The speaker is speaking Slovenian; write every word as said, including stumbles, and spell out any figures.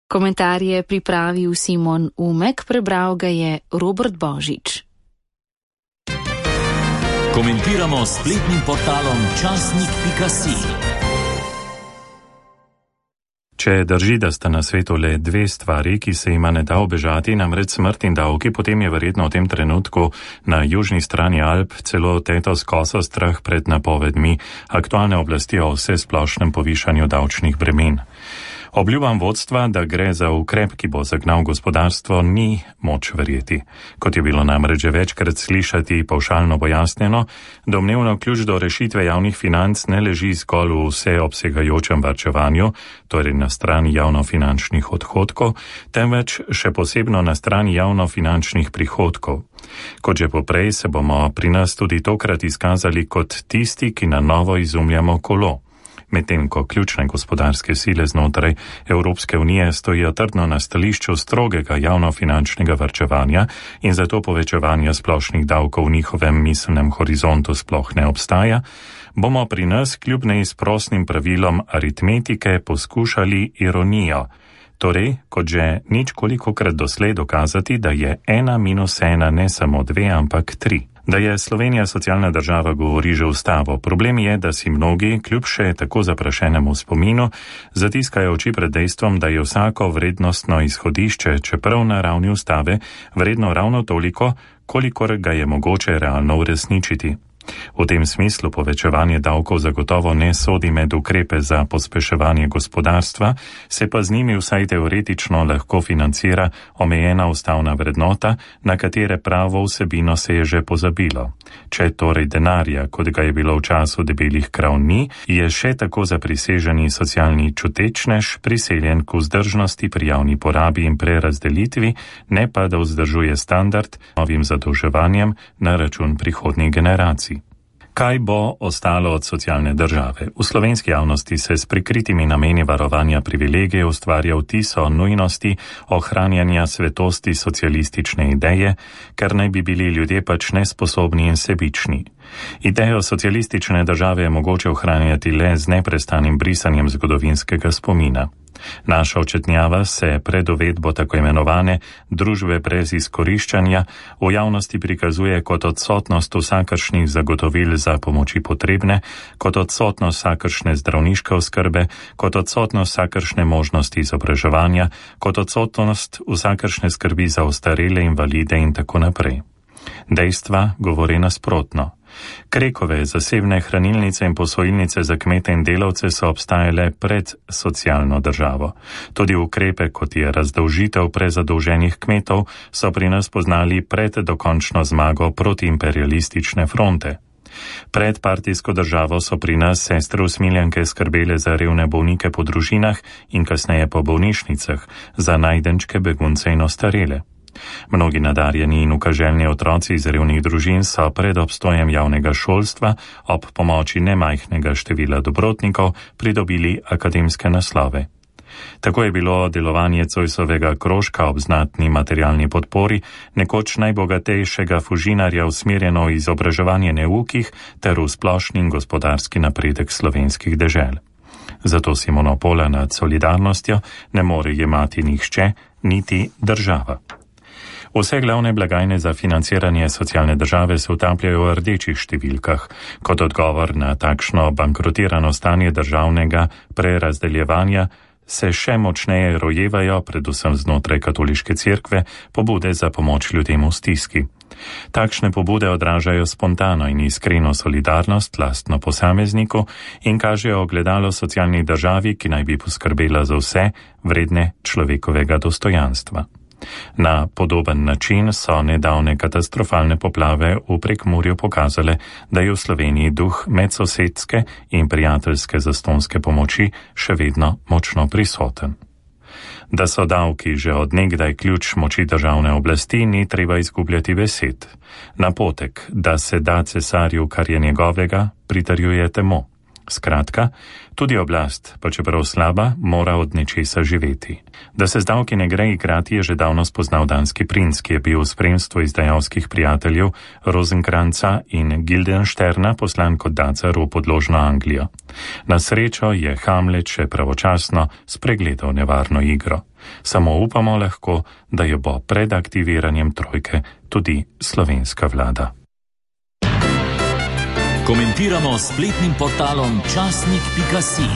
Komentar je pripravil Simon Umek, prebral ga je Robert Božič. Komentiramo s spletnim portalom časnik pika si. Če drži, da sta na svetu le dve stvari, ki se ima ne da obežati, namreč smrt in davki, potem je verjetno v tem trenutku na južni strani Alp celo teto skoso strah pred napovedmi aktualne oblasti o vsesplošnem povišanju davčnih bremen. Obljubam vodstva, da gre za ukrep, ki bo zagnal gospodarstvo, ni moč verjeti. Kot je bilo namreč že večkrat slišati pavšalno pojasnjeno, domnevno ključ do rešitve javnih financ ne leži zgolj v vseobsegajočem varčevanju, torej na strani javnofinančnih odhodkov, temveč še posebno na strani javnofinančnih prihodkov. Kot že poprej se bomo pri nas tudi tokrat izkazali kot tisti, ki na novo izumljamo kolo. Medtem ko ključne gospodarske sile znotraj Evropske unije stojijo trdno na stališču strogega javnofinančnega varčevanja in zato povečevanja splošnih davkov v njihovem miselnem horizontu sploh ne obstaja, bomo pri nas kljub neizprosnim pravilom aritmetike poskušali ironijo, torej kot že nič kolikokrat doslej dokazati, da je ena minus ena ne samo dve, ampak tri. Da je Slovenija socialna država, govori že ustavo. Problem je, da si mnogi, kljub še tako zaprašenemu spominu, zatiskajo oči pred dejstvom, da je vsako vrednostno izhodišče, čeprav na ravni ustave, vredno ravno toliko, kolikor ga je mogoče realno uresničiti. V tem smislu povečevanje davkov zagotovo ne sodi med ukrepe za pospeševanje gospodarstva, se pa z njimi vsaj teoretično lahko financira omejena ustavna vrednota, na katere pravo vsebino se je že pozabilo. Če torej denarja, kot ga je bilo v času debelih krav ni, je še tako zapriseženi socialni čutečnež priseljen k vzdržnosti pri javni porabi in prerazdelitvi, ne pa da vzdržuje standard novim zadolževanjem na račun prihodnjih generacij. Kaj bo ostalo od socialne države? V slovenski javnosti se s prikritimi nameni varovanja privilegijev ustvarja vtis o nujnosti ohranjanja svetosti socialistične ideje, ker naj bi bili ljudje pač nesposobni in sebični. Idejo socialistične države je mogoče ohranjati le z neprestanim brisanjem zgodovinskega spomina. Naša očetnjava se pred uvedbo tako imenovane družbe brez izkoriščanja v javnosti prikazuje kot odsotnost vsakršnih zagotovil za pomoči potrebne, kot odsotnost vsakršne zdravniške oskrbe, kot odsotnost vsakršne možnosti izobraževanja, kot odsotnost vsakršne skrbi za ostarele, invalide in tako naprej. Dejstva govori nasprotno. Krekove zasebne hranilnice in posojilnice za kmete in delavce so obstajale pred socialno državo. Tudi ukrepe, kot je razdolžitev prezadolženih kmetov, so pri nas poznali pred dokončno zmago protiimperialistične fronte. Pred partijsko državo so pri nas sestre usmiljanke skrbele za revne bolnike po družinah in kasneje po bolnišnicah, za najdenčke, begunce in ostarele. Mnogi nadarjeni in ukaželjni otroci iz revnih družin so pred obstojem javnega šolstva ob pomoči nemajhnega števila dobrotnikov pridobili akademske naslove. Tako je bilo delovanje Zoisovega krožka ob znatni materialni podpori nekoč najbogatejšega fužinarja usmerjeno v izobraževanje neukih ter v splošni gospodarski napredek slovenskih dežel. Zato si monopola nad solidarnostjo ne more jemati nihče, niti država. Vse glavne blagajne za financiranje socialne države se utapljajo v rdečih številkah. Kot odgovor na takšno bankrotirano stanje državnega prerazdeljevanja se še močneje rojevajo, predvsem znotraj katoliške cerkve, pobude za pomoč ljudem v stiski. Takšne pobude odražajo spontano in iskreno solidarnost lastno posamezniku in kažejo ogledalo socialni državi, ki naj bi poskrbela za vse vredne človekovega dostojanstva. Na podoben način so nedavne katastrofalne poplave v Prekmurju pokazale, da je v Sloveniji duh medsosedske in prijateljske zastonske pomoči še vedno močno prisoten. Da so davki že od nekdaj ključ moči državne oblasti, ni treba izgubljati besed. Napotek, da se da cesarju, kar je njegovega, pritrjuje temu. Skratka, tudi oblast, pa čeprav slaba, mora od nečesa živeti. Da se z davki ne gre igrati, je že davno spoznal danski princ, ki je bil v spremstvu izdajalskih prijateljev Rosenkranca in Guildensterna poslan kot dacar v podložno Anglijo. Na srečo je Hamlet še pravočasno spregledal nevarno igro. Samo upamo lahko, da jo bo pred aktiviranjem trojke tudi slovenska vlada. Komentiramo s spletnim portalom časnik pika si.